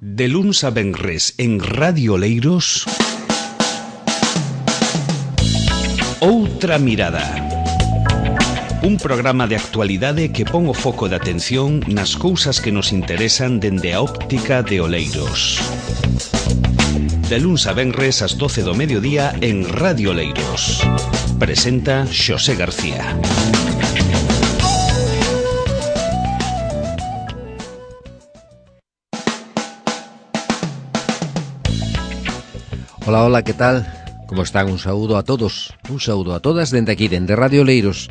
De luns a venres en Radio Oleiros, Outra Mirada. Un programa de actualidade que pon o foco de atención nas cousas que nos interesan dende a óptica de Oleiros. De luns a venres ás 12 do mediodía en Radio Oleiros. Presenta Xosé García. Hola, hola, que tal? Como están? Un saúdo a todos, un saúdo a todas dende aquí, dende Radio Oleiros.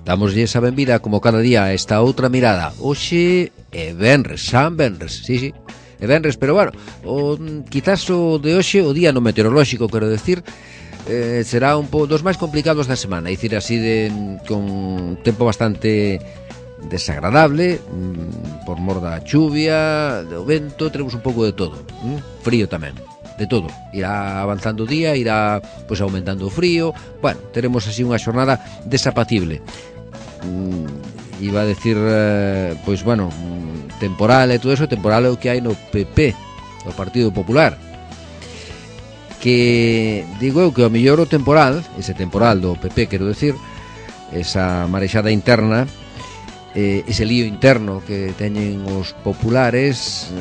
Damoslle esa benvida como cada día a esta outra mirada. Hoxe é venres, San Venres, sí, é venres, pero bueno, quizás o de hoxe, o día no meteorolóxico, quero decir, será un pouco dos máis complicados da semana, é dicir, así con tempo bastante desagradable, por mor da chuvia, do vento, teremos un pouco de todo, frío tamén. De todo, irá avanzando o día, irá pois aumentando o frío. Bueno, teremos así unha xornada desapacible. Iba a decir, pois bueno, temporal e todo eso. Temporal é o que hai no PP, no Partido Popular, que digo eu que o mellor o temporal, ese temporal do PP, quero decir, esa marexada interna, ese lío interno que teñen os populares,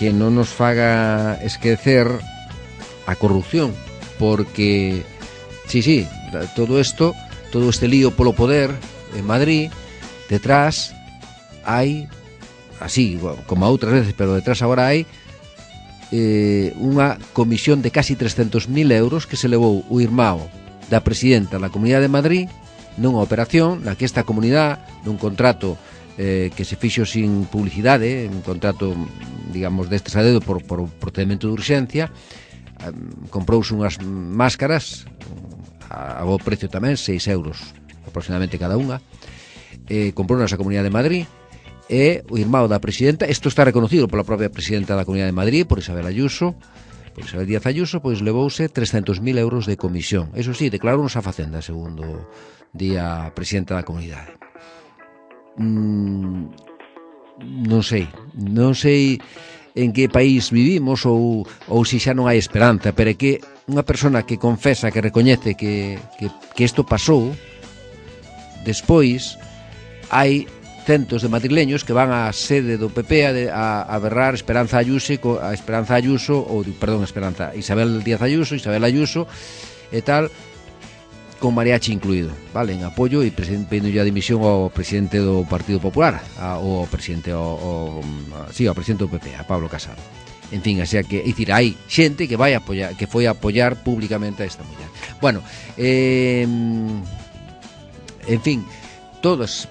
que non nos faga esquecer a corrupción, porque sí, todo este lío polo poder en Madrid, detrás hai, así como a outras veces, pero detrás agora hai unha comisión de casi 300.000 euros que se levou o irmão da presidenta da Comunidade de Madrid nunha operación na que esta comunidade, nun contrato que se fixo sin publicidade, un contrato, digamos, destes a dedo por procedimento de urxencia, comprouse unhas máscaras a bo precio tamén, 6 euros aproximadamente cada unha, comprou nasa Comunidade de Madrid, e o irmão da presidenta, isto está reconocido pola propia presidenta da Comunidade de Madrid, por Isabel Díaz Ayuso, pois levouse 300.000 euros de comisión. Eso sí, declarounos a Facenda, segundo día a presidenta da Comunidade. Non sei en que país vivimos ou se xa non hai esperanza, pero é que unha persona que confesa, que recoñece que isto pasou, despois hai centos de madrileños que van á sede do PP a berrar Isabel Díaz Ayuso e tal, con mariachi incluído, vale, en apoio e pedindo a dimisión ao presidente do Partido Popular, ao presidente ao presidente do PP, a Pablo Casado. En fin, así que, é dicir, hai xente que vai apoiar, que foi a apoiar públicamente a esta muller. Bueno, en fin,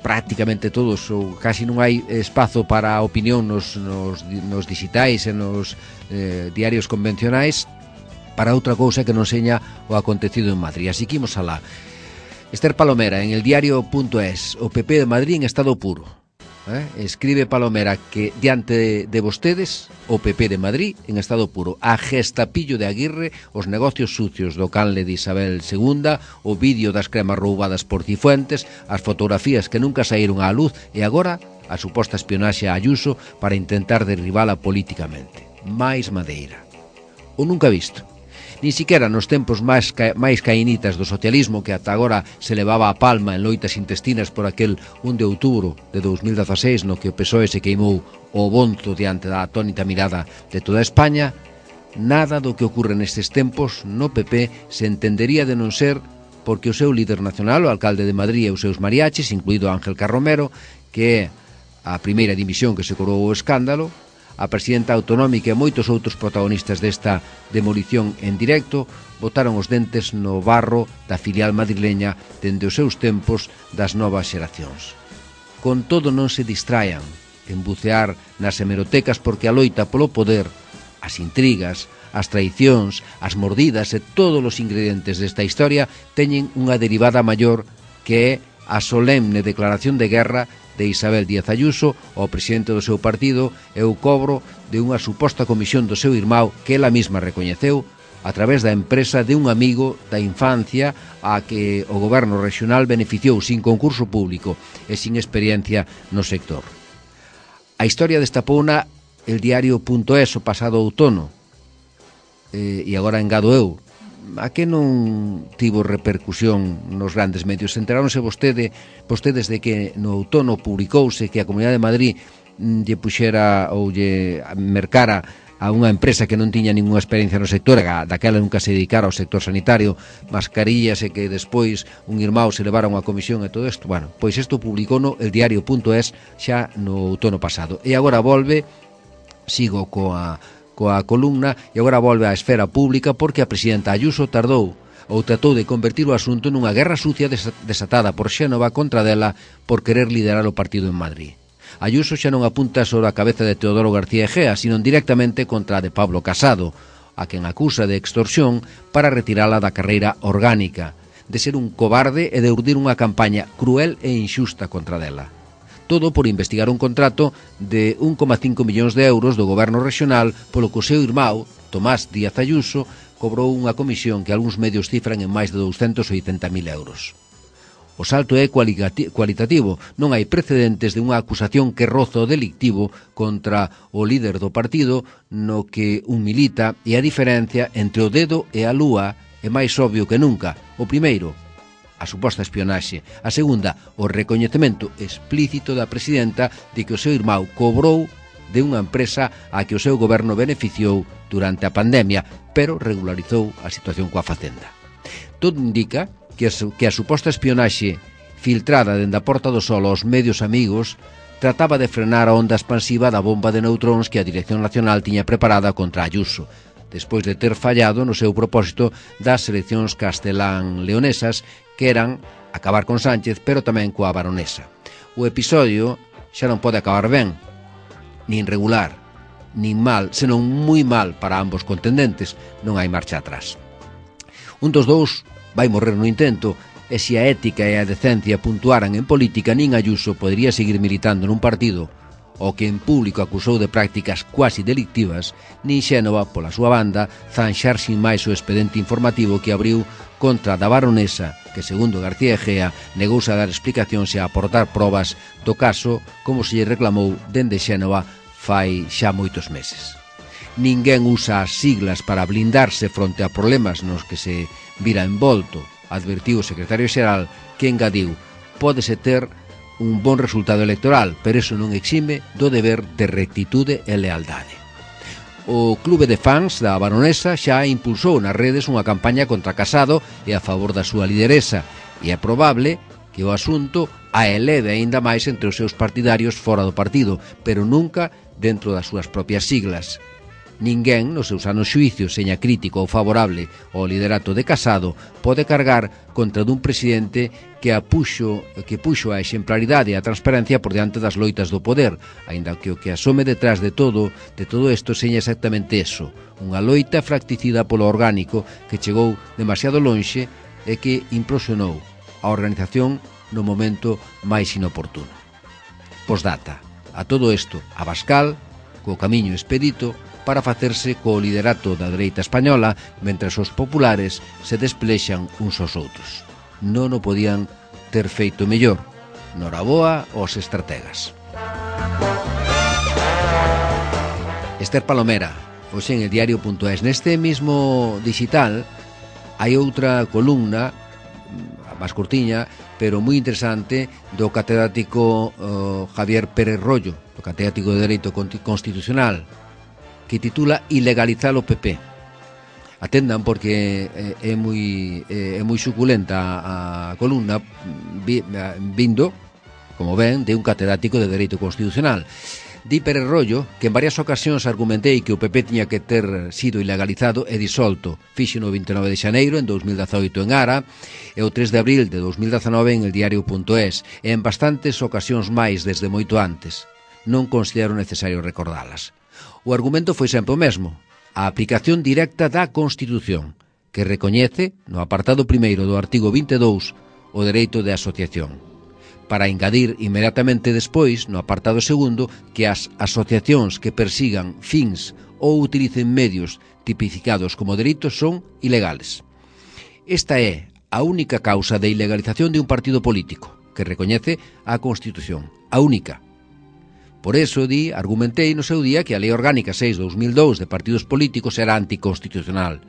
prácticamente todos, ou casi non hai espazo para a opinión nos digitais e nos diarios convencionais para outra cousa que non seña o acontecido en Madrid. Así que imos alá. Esther Palomera, en el diario.es, o PP de Madrid en estado puro. Escribe Palomera que diante de vostedes, o PP de Madrid en estado puro. A Gestapillo de Aguirre, os negocios sucios do canle de Isabel II, o vídeo das cremas roubadas por Cifuentes, as fotografías que nunca saíron á luz e agora a suposta espionaxe a Ayuso para intentar derribala políticamente. Mais madeira. O nunca visto. Ni siquiera nos tempos máis caínitas do socialismo, que ata agora se levaba a palma en loitas intestinas por aquel 1 de outubro de 2016 no que o PSOE se queimou o bonzo diante da atónita mirada de toda España, nada do que ocorre nestes tempos no PP se entendería de non ser porque o seu líder nacional, o alcalde de Madrid e os seus mariachis, incluído Ángel Carromero, que é a primeira dimisión que se coroou o escándalo, a presidenta autonómica e moitos outros protagonistas desta demolición en directo botaron os dentes no barro da filial madrileña dende os seus tempos das novas xeracións. Con todo, non se distraian en bucear nas hemerotecas, porque a loita polo poder, as intrigas, as traicións, as mordidas e todos os ingredientes desta historia teñen unha derivada maior, que é a solemne declaración de guerra de Isabel Díaz Ayuso ao presidente do seu partido e o cobro de unha suposta comisión do seu irmão que ela mesma recoñeceu a través da empresa de un amigo da infancia a que o goberno regional beneficiou sin concurso público e sin experiencia no sector. A historia desta pouna el diario.es o pasado outono, e agora engado eu, a que non tivo repercusión nos grandes medios? Enteráronse vostedes de que no outono publicouse que a Comunidade de Madrid lle puxera ou lle mercara a unha empresa que non tiña ninguna experiencia no sector, daquela nunca se dedicara ao sector sanitario, mascarillas, e que despois un irmão se levara unha comisión e todo isto? Bueno, pois isto publicouno el diario.es xa no outono pasado, e agora volve, sigo coa columna, e agora volve á esfera pública porque a presidenta Ayuso tardou ou tratou de convertir o asunto nunha guerra sucia desatada por Xénova contra dela por querer liderar o partido en Madrid. Ayuso xa non apunta sobre a cabeza de Teodoro García Egea, sino directamente contra a de Pablo Casado, a quen acusa de extorsión para retirala da carreira orgánica, de ser un cobarde e de urdir unha campaña cruel e inxusta contra dela. Todo por investigar un contrato de 1,5 millóns de euros do goberno regional polo que o seu irmão, Tomás Díaz Ayuso, cobrou unha comisión que algúns medios cifran en máis de 280.000 euros. O salto é cualitativo, non hai precedentes de unha acusación que roza o delictivo contra o líder do partido no que un milita, e a diferencia entre o dedo e a lúa é máis obvio que nunca. O primeiro, a suposta espionaxe. A segunda, o recoñecemento explícito da presidenta de que o seu irmão cobrou de unha empresa a que o seu goberno beneficiou durante a pandemia, pero regularizou a situación coa Facenda. Todo indica que a suposta espionaxe filtrada dende a Porta do Sol aos medios amigos trataba de frenar a onda expansiva da bomba de neutróns que a Dirección Nacional tiña preparada contra Ayuso, despois de ter fallado no seu propósito das eleccións castelán-leonesas, que eran acabar con Sánchez, pero tamén coa baronesa. O episodio xa non pode acabar ben, nin regular, nin mal, senón moi mal para ambos contendentes. Non hai marcha atrás. Un dos dous vai morrer no intento, e se a ética e a decencia puntuaran en política, nin Ayuso podería seguir militando nun partido o que en público acusou de prácticas cuasi delictivas, nin Xénova, pola súa banda, zanxar sin máis o expediente informativo que abriu contra da baronesa, que, segundo García Egea, negouse a dar explicacións e a aportar probas do caso, como se lle reclamou dende Xénova fai xa moitos meses. Ninguén usa as siglas para blindarse fronte a problemas nos que se vira envolto, advertiu o secretario xeral, que engadiu: pódese ter un bon resultado electoral, pero iso non exime do deber de rectitude e lealdade. O clube de fans da baronesa xa impulsou nas redes unha campaña contra Casado e a favor da súa lideresa, e é probable que o asunto a eleve aínda máis entre os seus partidarios fora do partido, pero nunca dentro das súas propias siglas. Ninguén, nos seus anos xuicios, seña crítico ou favorable ao liderato de Casado, pode cargar contra dun presidente que puxo a exemplaridade e a transparencia por diante das loitas do poder, aínda que o que asome detrás de todo isto seña exactamente eso, unha loita fracticida polo orgánico que chegou demasiado lonxe e que implosionou a organización no momento máis inoportuno. Posdata, a todo isto, Abascal, co camiño expedito, para facerse co liderato da dereita española, mentres os populares se desplexan uns aos outros. Non o podían ter feito mellor. Noraboa aos estrategas. Esther Palomera, hoxe en el diario.es. Neste mismo digital hai outra columna, máis curtiña, pero moi interesante, do catedrático Javier Pérez Rollo, do catedrático de Dereito Constitucional, que titula Ilegalizar o PP. Atendan porque é moi suculenta a columna, vindo, como ven, de un catedrático de Dereito Constitucional. Di Pérez Rollo que en varias ocasións argumentei que o PP tiña que ter sido ilegalizado e disolto. Fixo no 29 de xaneiro en 2018 en Ara e o 3 de abril de 2019 en el diario.es, e en bastantes ocasións máis desde moito antes. Non considero necesario recordalas. O argumento foi sempre o mesmo: a aplicación directa da Constitución, que recoñece, no apartado primeiro do artigo 22, o dereito de asociación, para engadir inmediatamente despois, no apartado segundo, que as asociacións que persigan fins ou utilicen medios tipificados como delitos son ilegales. Esta é a única causa de ilegalización de un partido político, que recoñece a Constitución, a única. Por eso, argumentei no seu día que a Lei Orgánica 6/2002 de partidos políticos era anticonstitucional,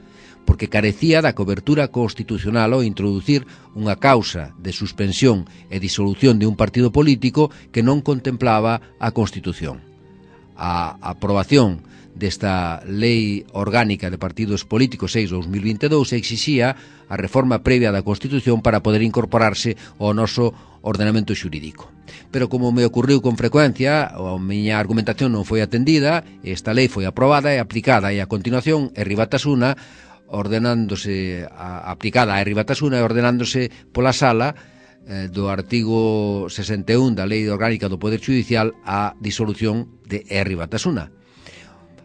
porque carecía da cobertura constitucional ao introducir unha causa de suspensión e disolución de un partido político que non contemplaba a Constitución. A aprobación desta Lei Orgánica de Partidos Políticos 6/2022 exixía a reforma previa da Constitución para poder incorporarse ao noso ordenamento xurídico. Pero como me ocurriu con frecuencia, a miña argumentación non foi atendida, esta lei foi aprobada e aplicada, e a continuación Herri Batasuna aplicada a Herri Batasuna e ordenándose pola sala do artigo 61 da Lei Orgánica do Poder Judicial a disolución de Herri Batasuna.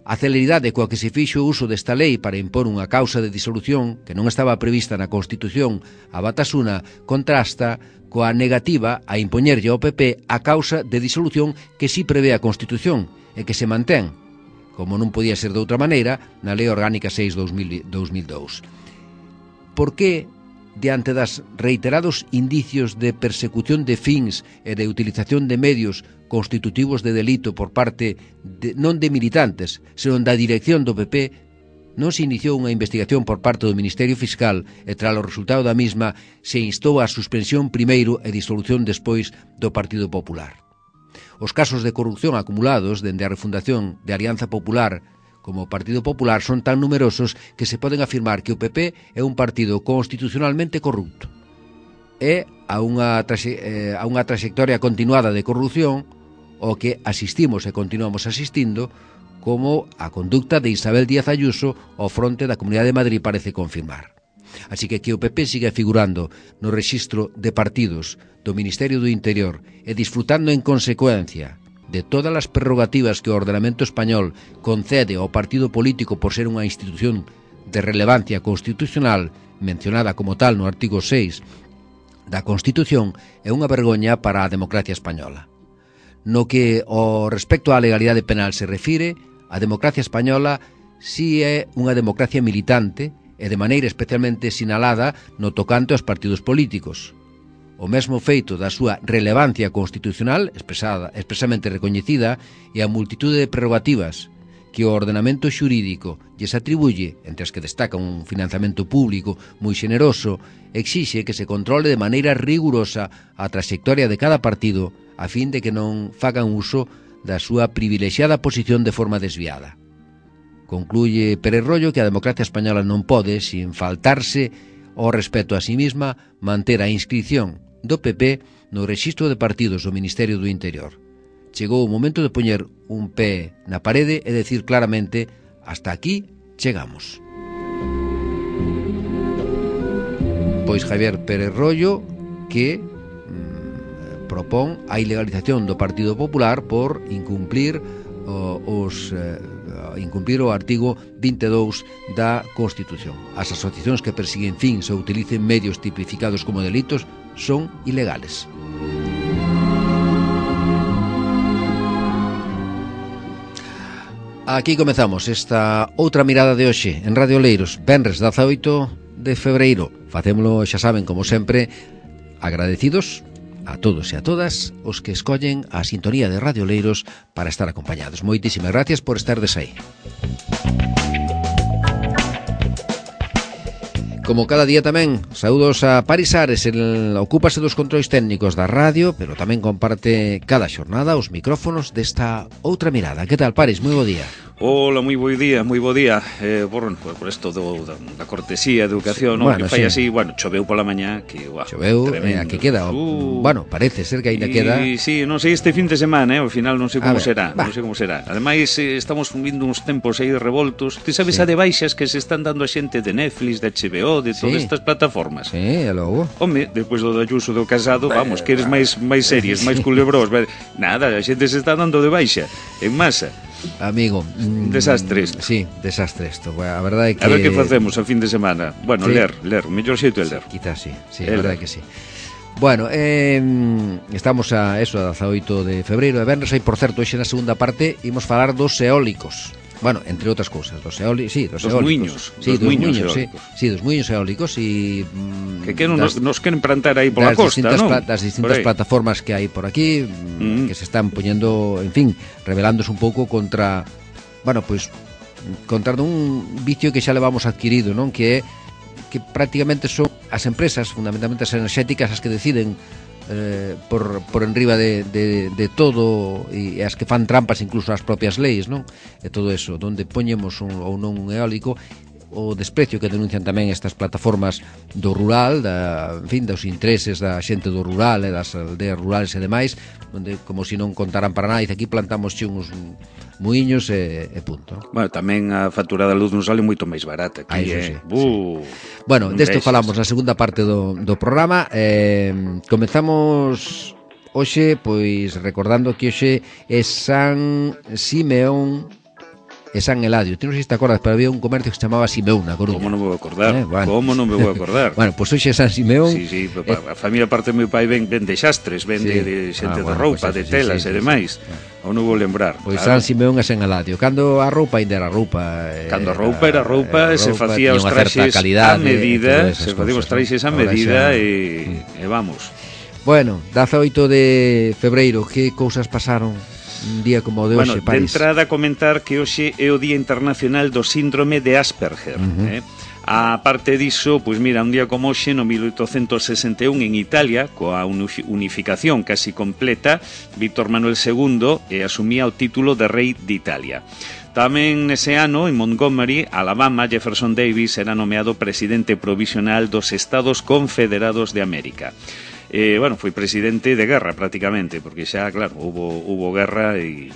A celeridade coa que se fixo o uso desta lei para impor unha causa de disolución que non estaba prevista na Constitución a Batasuna contrasta coa negativa a impoñerlle ao PP a causa de disolución que sí prevé a Constitución e que se mantén, como non podía ser de outra maneira, na Lei Orgánica 6/2002. Por que, diante das reiterados indicios de persecución de fins e de utilización de medios constitutivos de delito por parte non de militantes, senón da dirección do PP, non se iniciou unha investigación por parte do Ministerio Fiscal e tras o resultado da mesma se instou a suspensión primeiro e disolución despois do Partido Popular? Os casos de corrupción acumulados dende a refundación de Alianza Popular como Partido Popular son tan numerosos que se poden afirmar que o PP é un partido constitucionalmente corrupto. É a unha trayectoria continuada de corrupción o que asistimos e continuamos asistindo, como a conducta de Isabel Díaz Ayuso ao fronte da Comunidade de Madrid parece confirmar. Así que o PP siga figurando no rexistro de partidos do Ministerio do Interior e disfrutando en consecuencia de todas as prerrogativas que o ordenamento español concede ao partido político por ser unha institución de relevancia constitucional mencionada como tal no artigo 6 da Constitución, é unha vergoña para a democracia española. No que ao respecto á legalidade penal se refire, a democracia española si é unha democracia militante e de maneira especialmente sinalada no tocante aos partidos políticos. O mesmo feito da súa relevancia constitucional, expresamente recoñecida, e a multitude de prerrogativas que o ordenamento xurídico lles atribuye, entre as que destaca un financiamento público moi xeneroso, exixe que se controle de maneira rigurosa a trayectoria de cada partido a fin de que non fagan uso da súa privilexiada posición de forma desviada. Concluye Pérez Royo que a democracia española non pode, sin faltarse ao respeto a sí mesma, manter a inscrición do PP no rexistro de partidos do Ministerio do Interior. Chegou o momento de poñer un pé na parede e decir claramente: hasta aquí chegamos. Pois Javier Pérez Royo que propón a ilegalización do Partido Popular por incumplir o artigo 22 da Constitución. As asociacións que persiguen fins ou utilicen medios tipificados como delitos son ilegales. Aquí comezamos esta outra mirada de hoxe en Radio Oleiros, venres 18 de febreiro. Facémolo, xa saben, como sempre, agradecidos a todos e a todas os que escollen a sintonía de Radio Oleiros para estar acompañados. Moitísimas gracias por estardes aí. Como cada día tamén, saúdos a Paris Ares, ocúpase dos controis técnicos da radio, pero tamén comparte cada xornada os micrófonos desta outra mirada. Que tal, Paris? Moi bo día. Hola, moi bo día, moi bo día. Por isto da cortesía, de educación, no? Bueno, que fai sí. así, choveu pola mañá, que choveu, a que queda, bueno, parece ser que ainda queda. Sí, non sei este fin de semana, ao final non sei como será, non sei como será. Ademais, estamos vindo uns tempos aí revoltos. Ti sabes a de baixas que se están dando a xente de Netflix, de HBO, de todas estas plataformas. Sí, e logo. Home, despois do Ayuso do Casado, vamos, que eres máis series, máis culebrós. Nada, a xente se está dando de baixa en masa. Amigo, desastre isto. Sí, desastre isto. A verdade é que a ver que facemos a fin de semana. Bueno, sí. ler, o mellor xeito é ler. Quizás sí, a verdade é que sí. Bueno, estamos a 18 de febreiro de venres. E, por certo, hoxe na segunda parte imos falar dos eólicos. bueno, entre outras cousas, dos eólicos, sí, dos muiños, sí, dos muiños eólicos. Sí, dos muiños eólicos e que nos queren plantar aí pola costa, non? Das distintas plataformas que hai por aquí, que se están poñendo, en fin, rebelándose un pouco contra, bueno, pois contra un vicio que xa levamos adquirido, non? Que é que prácticamente son as empresas, fundamentalmente as enerxéticas, as que deciden por enriba de todo, e as que fan trampas incluso as propias leis, non? E todo eso, onde poñemos ou non un eólico, o desprecio que denuncian tamén estas plataformas do rural, en fin, dos intereses da xente do rural e das aldeas rurales e demais, onde como se non contaran para nada, e aquí plantamos uns muiños e punto. Bueno, tamén a factura da luz non sale moito máis barata aquí, sí. Bueno, desto falamos na segunda parte do programa. Comezamos hoxe, pois, recordando que hoxe é San Simeón e San Eladio. Ti non sei se te acordas, pero había un comercio que se chamaba Simeón na Coruña. Como non me vou acordar? Bueno. Como non me vou acordar? Bueno, pois hoxe é San Simeón. Sí, a familia parte do meu pai ven de xastres, ven de xente de roupa, de telas e demais. Ou non vou lembrar. Pois San Simeón e San Eladio. Cando a roupa ainda era roupa. Cando a roupa era roupa, se facía os traxes a medida, se facía os traxes a medida e vamos. Bueno, 18 de febreiro, que cousas pasaron un día como o de hoxe, Paris? De entrada comentar que hoxe é o Día Internacional do Síndrome de Asperger. A parte diso, pois mira, un día como hoxe, no 1861, en Italia, coa unificación casi completa, Víctor Manuel II asumía o título de rei de Italia. Tamén nese ano, en Montgomery, Alabama, Jefferson Davis era nomeado presidente provisional dos Estados Confederados de América. Bueno, foi presidente de guerra prácticamente, porque xa, claro, hubo guerra e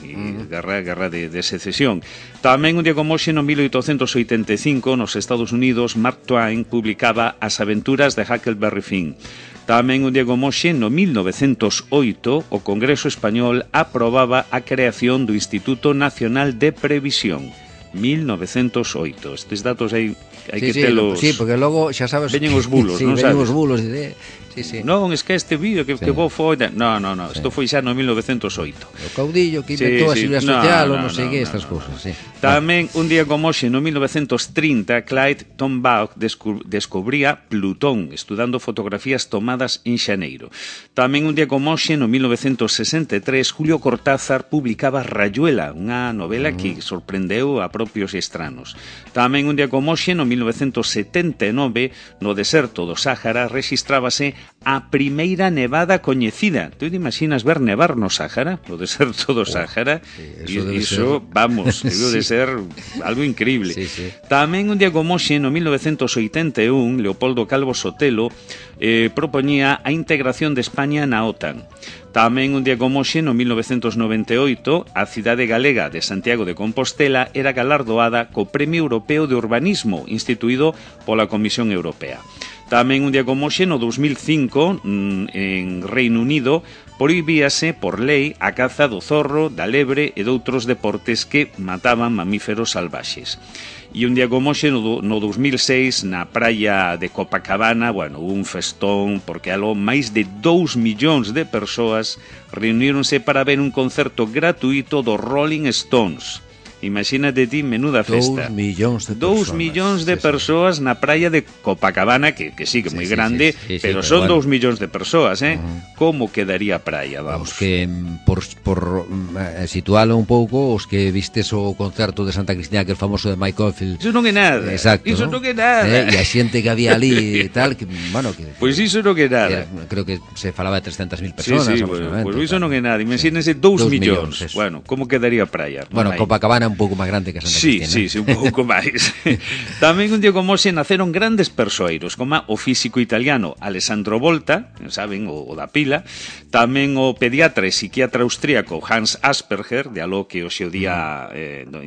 guerra de secesión. Tamén un día como hoxe, no 1885, nos Estados Unidos, Mark Twain publicaba As aventuras de Huckleberry Finn. Tamén un día como hoxe, no 1908, o Congreso Español aprobaba a creación do Instituto Nacional de Previsión. 1908. Estes datos hai que telos... Sí, porque logo, xa sabes... Veñen os bulos, non sabes? Veñen os bulos Sí. Non, es que este vídeo que vos foi... No, isto foi xa no 1908. O caudillo que inventou a Seguridade Social ou non sei que, estas cousas, sí. Tamén, un día como hoxe, no 1930, Clyde Tombaugh descubría Plutón, estudando fotografías tomadas en xaneiro. Tamén, un día como hoxe, no 1963, Julio Cortázar publicaba Rayuela, unha novela que sorprendeu a propios estranos. Tamén, un día como hoxe, no 1979, no deserto do Sáhara, rexistrábase a primeira nevada coñecida. Tu te imaginas ver nevar no Sáhara, no deserto do Sáhara? Iso, vamos, debe de ser algo increíble. Sí. Tamén un día como hoxe, no 1981, Leopoldo Calvo Sotelo propoñía a integración de España na OTAN. Tamén un día como hoxe, no 1998, a cidade galega de Santiago de Compostela era galardoada co Premio Europeo de Urbanismo, instituído pola Comisión Europea. Tamén un día como hoxe, no 2005, en Reino Unido, prohibíase por lei a caza do zorro, da lebre e doutros deportes que mataban mamíferos salvaxes. E un día como hoxe, no 2006, na praia de Copacabana, bueno, un festón, porque aló máis de 2 millóns de persoas reuníronse para ver un concerto gratuito dos Rolling Stones. Imagínate ti, menuda festa. 2 millóns de persoas. 2 millóns de persoas na praia de Copacabana, que sí, que é moi grande, pero son 2 millóns de persoas, Como quedaría a praia, vamos? Os que, por situalo un pouco, os que vistes o concerto de Santa Cristina, que é famoso de Mike Oldfield. Iso non é nada. Exacto, iso non é nada. E a xente que había ali e tal, que, bueno, que... Pois iso non é nada. Creo que se falaba de 300.000 persoas. Sí, pois iso non é nada. Imagínense 2 millóns. Bueno, como quedaría a praia? Bueno, Copacabana un pouco máis grande que Santa Cristina. Sí, un pouco máis. Tamén un día como hoxe naceron grandes persoeiros, como o físico italiano Alessandro Volta, saben, o da pila, tamén o pediatra e psiquiatra austríaco Hans Asperger, de aló que hoxe o día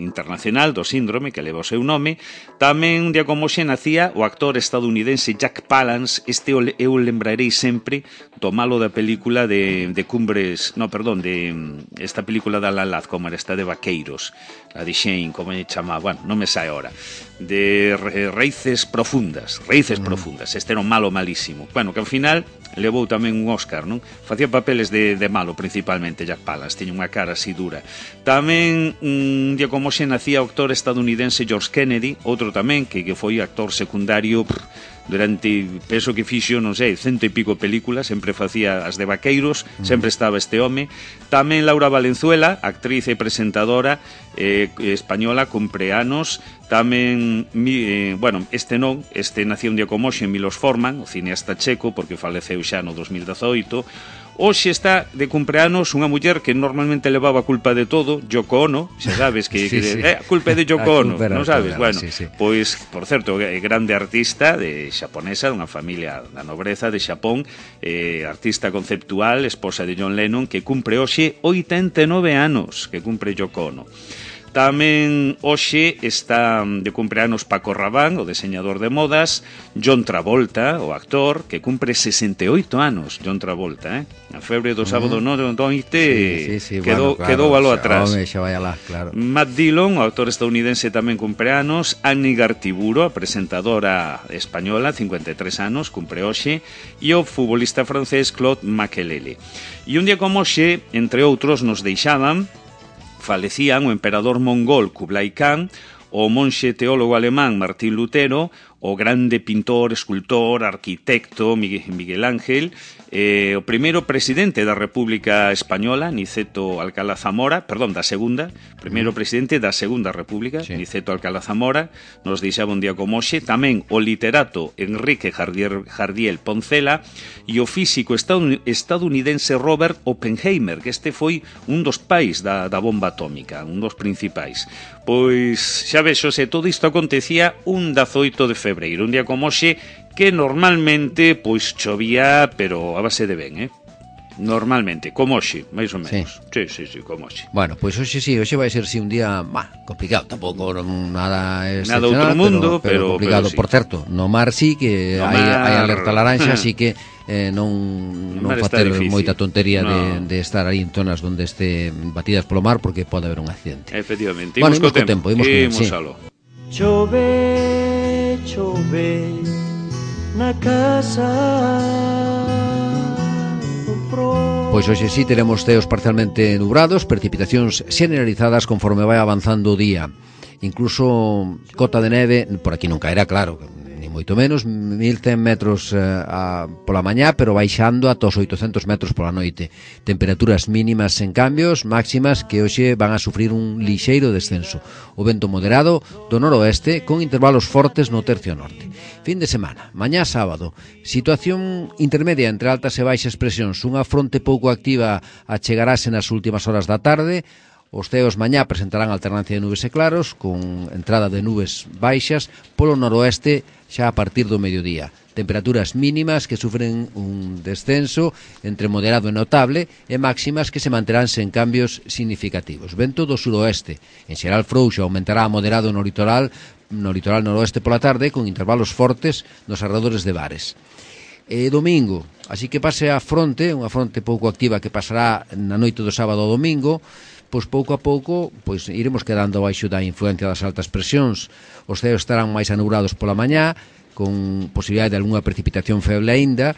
internacional do síndrome, que leva o seu nome. Tamén un día como hoxe nacía o actor estadounidense Jack Palance, eu lembrarei sempre do malo da película de Cumbres, de esta película da La Laz, como era esta de Vaqueiros, a de Shane, como lle chamaba, bueno, non me sai ahora. raíces profundas, este era un malo malísimo, bueno, que ao final levou tamén un Óscar, non? Facía papeles de malo principalmente, Jack Palance, tiña unha cara así dura. Tamén un día como xe nacía o actor estadounidense George Kennedy, outro tamén que foi actor secundario durante, penso que fixo, non sei, 100 e pico películas, sempre facía as de vaqueiros, sempre estaba este home. Tamén Laura Valenzuela, actriz e presentadora española, cumpre anos. Tamén, bueno, este nacía un día como hoxe, Milos Forman, o cineasta checo, porque faleceu xa no 2018. Hoxe está de cumpleanos unha muller que normalmente levaba a culpa de todo, Yoko Ono, xa sabes que a culpa é de Yoko Ono, non sabes? Bueno, pois, por certo, grande artista xaponesa, dunha familia da nobreza de Xapón, artista conceptual, esposa de John Lennon, que cumpre hoxe 89 anos, que cumpre Yoko Ono. Tamén hoxe está de cumpleanos Paco Rabanne, o diseñador de modas, John Travolta, o actor, que cumpre 68 anos, John Travolta, A febre do sábado noite quedou algo atrás. Xa vai alá, claro. Matt Dillon, o actor estadounidense, tamén cumpre anos. Annie Gartiburu, a presentadora española, 53 anos, cumpre hoxe. E o futbolista francés Claude Makélélé. E un día como hoxe, entre outros, nos deixaban, falecían o emperador mongol Kublai Khan, o monxe teólogo alemán Martín Lutero, o grande pintor, escultor, arquitecto Miguel Ángel, o primeiro presidente da República Española, Niceto Alcalá Zamora, perdón, da segunda, primeiro presidente da Segunda República, Niceto Alcalá Zamora, nos deixaba un día como hoxe. Tamén o literato Enrique Jardiel Poncela e o físico estadounidense Robert Oppenheimer, que este foi un dos pais da bomba atómica, un dos principais. Pois, xa vexo, todo isto acontecía un 18 de febreiro, un día como hoxe, que normalmente, pois, chovía, pero a base de ben, Normalmente, como hoxe, máis ou menos. Sí, como hoxe. Bueno, pois hoxe vai ser un día complicado, tampouco nada excepcional, outro mundo, pero complicado. Sí. Por certo, no mar sí que hai alerta laranxa, así que non facer moita tontería de estar aí en zonas onde este batidas polo mar, porque pode haber un accidente. Efectivamente. Bueno, imos co tempo. Chove na casa. Pois hoxe sí teremos ceos parcialmente nubrados, precipitacións generalizadas conforme vai avanzando o día. Incluso cota de neve, por aquí non caerá, claro, ni moito menos, 1100 metros pola mañá, pero baixando ata os 800 metros pola noite. Temperaturas mínimas sen cambios, máximas que hoxe van a sufrir un lixeiro descenso. O vento moderado do noroeste con intervalos fortes no tercio norte. Fin de semana, mañá sábado, situación intermedia entre altas e baixas presións, unha fronte pouco activa achegarase nas últimas horas da tarde. Os ceos mañá presentarán alternancia de nubes e claros, con entrada de nubes baixas polo noroeste xa a partir do mediodía. Temperaturas mínimas que sufren un descenso entre moderado e notable e máximas que se manterán sen cambios significativos. Vento do suroeste, en xeral frouxo, aumentará a moderado no litoral noroeste pola tarde, con intervalos fortes nos arredores de Bares. Domingo, así que pase a fronte, unha fronte pouco activa que pasará na noite do sábado ao domingo, pois pouco a pouco iremos quedando baixo da influencia das altas presións. Os ceos estarán máis anubrados pola mañá, con posibilidade de algunha precipitación feble aínda,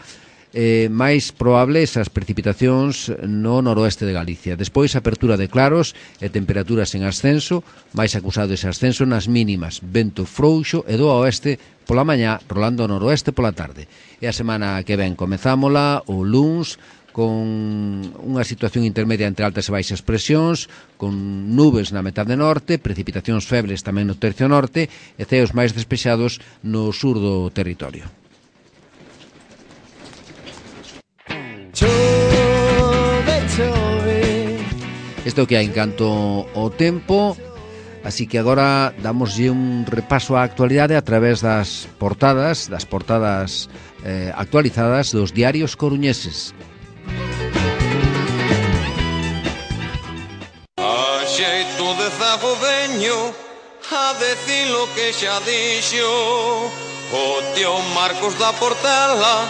máis probable esas precipitacións no noroeste de Galicia. Despois, apertura de claros e temperaturas en ascenso, máis acusado ese ascenso nas mínimas, vento frouxo e do oeste pola mañá, rolando ao noroeste pola tarde. E a semana que ven comezámola o luns con unha situación intermedia entre altas e baixas presións, con nubes na metade norte, precipitacións febles tamén no tercio norte e ceos máis despexados no sur do territorio. Isto que hai en canto ao tempo, así que agora damoslle un repaso á actualidade a través das portadas actualizadas dos diarios coruñeses. A xeito de zago veño a decir lo que xa dixo o tío Marcos da Portela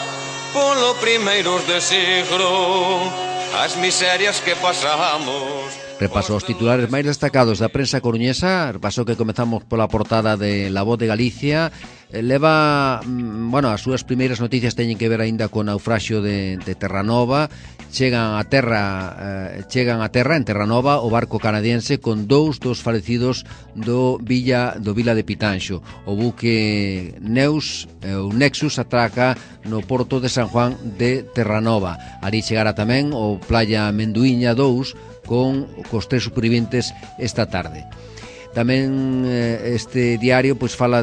polo primeiros de siglo, as miserias que pasamos Repaso os titulares máis destacados da prensa coruñesa. Repaso que comezamos pola portada de La Voz de Galicia. Leva, as súas primeiras noticias teñen que ver aínda co naufraxio de Terranova. Chegan a terra en Terranova o barco canadiense con dous dos falecidos do Vila de Pitanxo. O buque Nexus atraca no porto de San Juan de Terranova. Ali chegará tamén o Playa Menduíña 2 cos 3 superviventes esta tarde. Tamén este diario fala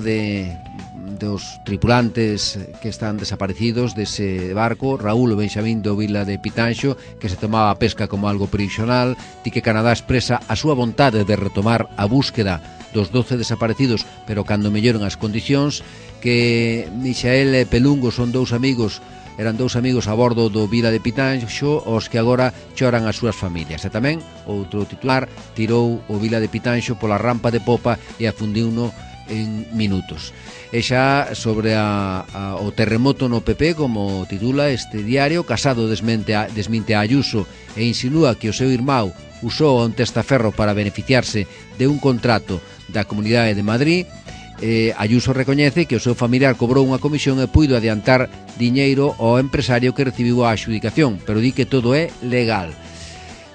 dos tripulantes que están desaparecidos dese barco. Raúl Benxamín do Vila de Pitanxo, que se tomaba a pesca como algo provisional. Di que Canadá expresa a súa vontade de retomar a búsqueda dos 12 desaparecidos, pero cando melloren as condicións. Que Michael e Pelungo eran dous amigos a bordo do Vila de Pitanxo, os que agora choran as súas familias. E tamén outro titular: tirou o Vila de Pitanxo pola rampa de popa e afundiuno en minutos. E xa sobre o terremoto no PP, como titula este diario, Casado desminte a Ayuso e insinúa que o seu irmão usou un testaferro para beneficiarse de un contrato da Comunidade de Madrid. Ayuso recoñece que o seu familiar cobrou unha comisión e puido adiantar diñeiro ao empresario que recibiu a adxudicación, pero di que todo é legal.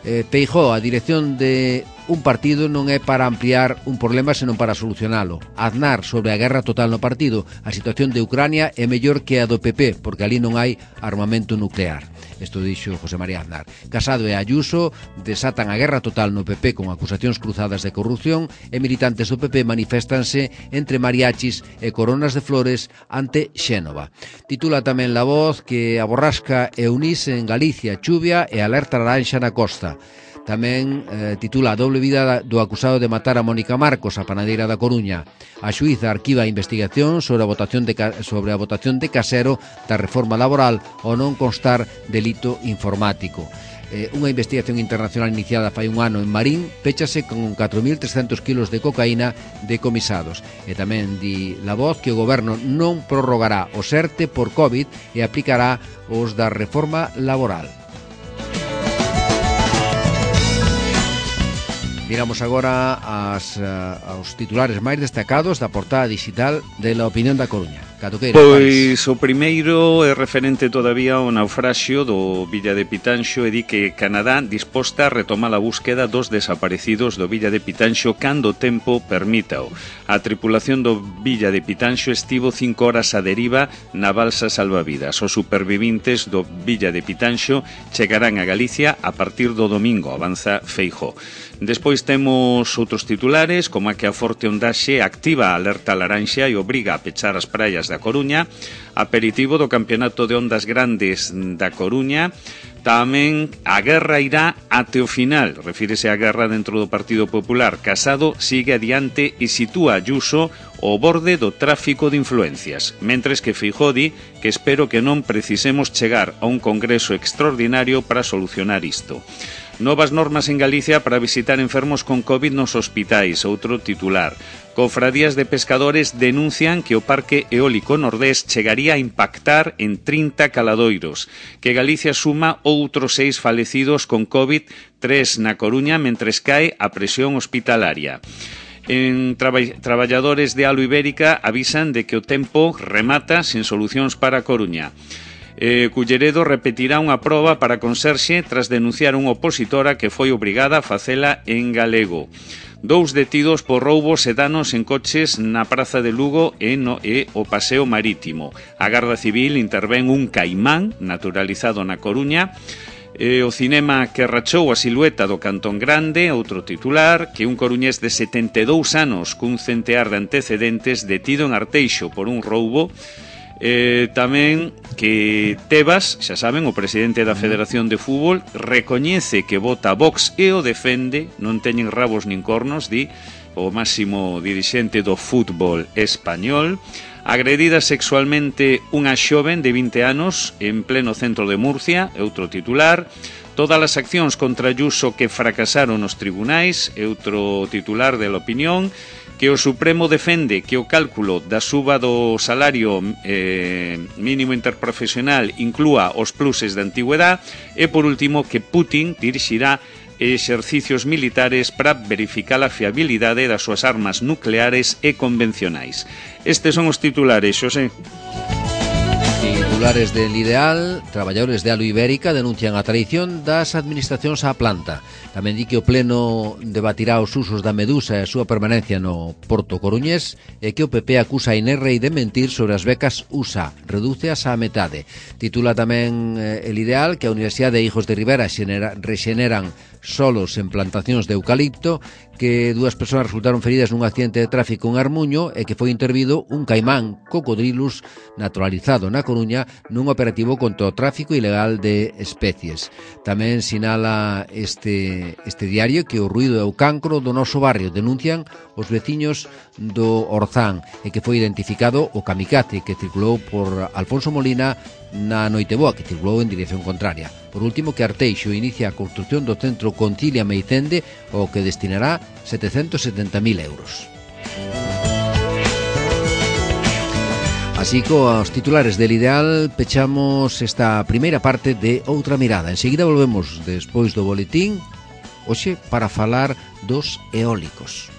Feijóo, a dirección de un partido non é para ampliar un problema, senón para solucionalo. Aznar, sobre a guerra total no partido: a situación de Ucrania é mellor que a do PP, porque ali non hai armamento nuclear. Isto dixo José María Aznar. Casado e Ayuso desatan a guerra total no PP con acusacións cruzadas de corrupción, e militantes do PP maniféstanse entre mariachis e coronas de flores ante Xénova. Titula tamén La Voz que a borrasca Eunice en Galicia, chuvia e alerta laranxa na costa. Tamén titula a doble vida do acusado de matar a Mónica Marcos, a panadeira da Coruña. A xuíza arquiva a investigación sobre a votación de Casero da reforma laboral ao non constar delito informático. Unha investigación internacional iniciada fai un ano en Marín péchase con 4.300 kilos de cocaína decomisados. E tamén di La Voz que o goberno non prorrogará o SERTE por COVID e aplicará os da reforma laboral. Miramos agora aos titulares máis destacados da portada digital de La Opinión da Coruña. Pois o primeiro é referente todavía ao naufraxio do Vila de Pitanxo e di que Canadá disposta a retomar a búsqueda dos desaparecidos do Vila de Pitanxo cando o tempo permítao. A tripulación do Vila de Pitanxo estivo 5 horas a deriva na balsa salvavidas. Os supervivintes do Vila de Pitanxo chegarán a Galicia a partir do domingo, avanza Feijóo. Despois temos outros titulares, como a que a forte ondaxe activa a alerta laranxa e obriga a pechar as praias da Coruña, aperitivo do Campeonato de Ondas Grandes da Coruña. Tamén a guerra irá até o final, refírese á guerra dentro do Partido Popular. Casado sigue adiante e sitúa Ayuso ao borde do tráfico de influencias, mentres que Feijóo di que espero que non precisemos chegar a un congreso extraordinario para solucionar isto. Novas normas en Galicia para visitar enfermos con COVID nos hospitais, outro titular. Cofradías de pescadores denuncian que o Parque Eólico Nordés chegaría a impactar en 30 caladoiros, que Galicia suma outros 6 falecidos con COVID, 3 na Coruña, mentres cae a presión hospitalaria. Traballadores de Alo Ibérica avisan de que o tempo remata sen solucións para a Coruña. Culleredo repetirá unha proba para conserxe tras denunciar unha opositora que foi obrigada a facela en galego. 2 detidos por roubos e danos en coches na Praza de Lugo e o Paseo Marítimo. A Garda Civil intervén un caimán naturalizado na Coruña. O cinema que rachou a silueta do Cantón Grande, outro titular, que un coruñés de 72 anos cun centear de antecedentes detido en Arteixo por un roubo. Tamén que Tebas, xa saben, o presidente da Federación de Fútbol, recoñece que vota Vox e o defende, non teñen rabos nin cornos, di o máximo dirixente do fútbol español. Agredida sexualmente unha xoven de 20 anos en pleno centro de Murcia, outro titular. Todas as accións contra Ayuso que fracasaron nos tribunais, outro titular de La Opinión. Que o Supremo defende que o cálculo da suba do salario mínimo interprofesional inclúa os pluses de antigüedad. E por último que Putin dirixirá e exercicios militares para verificar a fiabilidade das súas armas nucleares e convencionais. Estes son os titulares, Xosé. Titulares del Ideal: traballadores de Alu Ibérica denuncian a traición das administracións á planta. Tamén di que o Pleno debatirá os usos da medusa e a súa permanencia no Porto Coruñés, e que o PP acusa a Inerrey de mentir sobre as becas USA, redúceas á metade. Titula tamén el Ideal que a Universidade de Hijos de Rivera rexeneran solos en plantacións de eucalipto, que 2 persoas resultaron feridas nun accidente de tráfico en Armuño e que foi intervido un caimán cocodrilus naturalizado na Coruña nun operativo contra o tráfico ilegal de especies. Tamén sinala este diario que o ruído é o cancro do noso barrio. Denuncian os veciños do Orzán e que foi identificado o kamikaze que circulou por Alfonso Molina na Noiteboa, que circulou en dirección contraria. Por último, que Arteixo inicia a construcción do centro Concilia Meicende, ao que destinará 770.000 euros. Así cos titulares del Ideal pechamos esta primeira parte de Outra Mirada. Enseguida volvemos despois do boletín, hoxe para falar dos eólicos.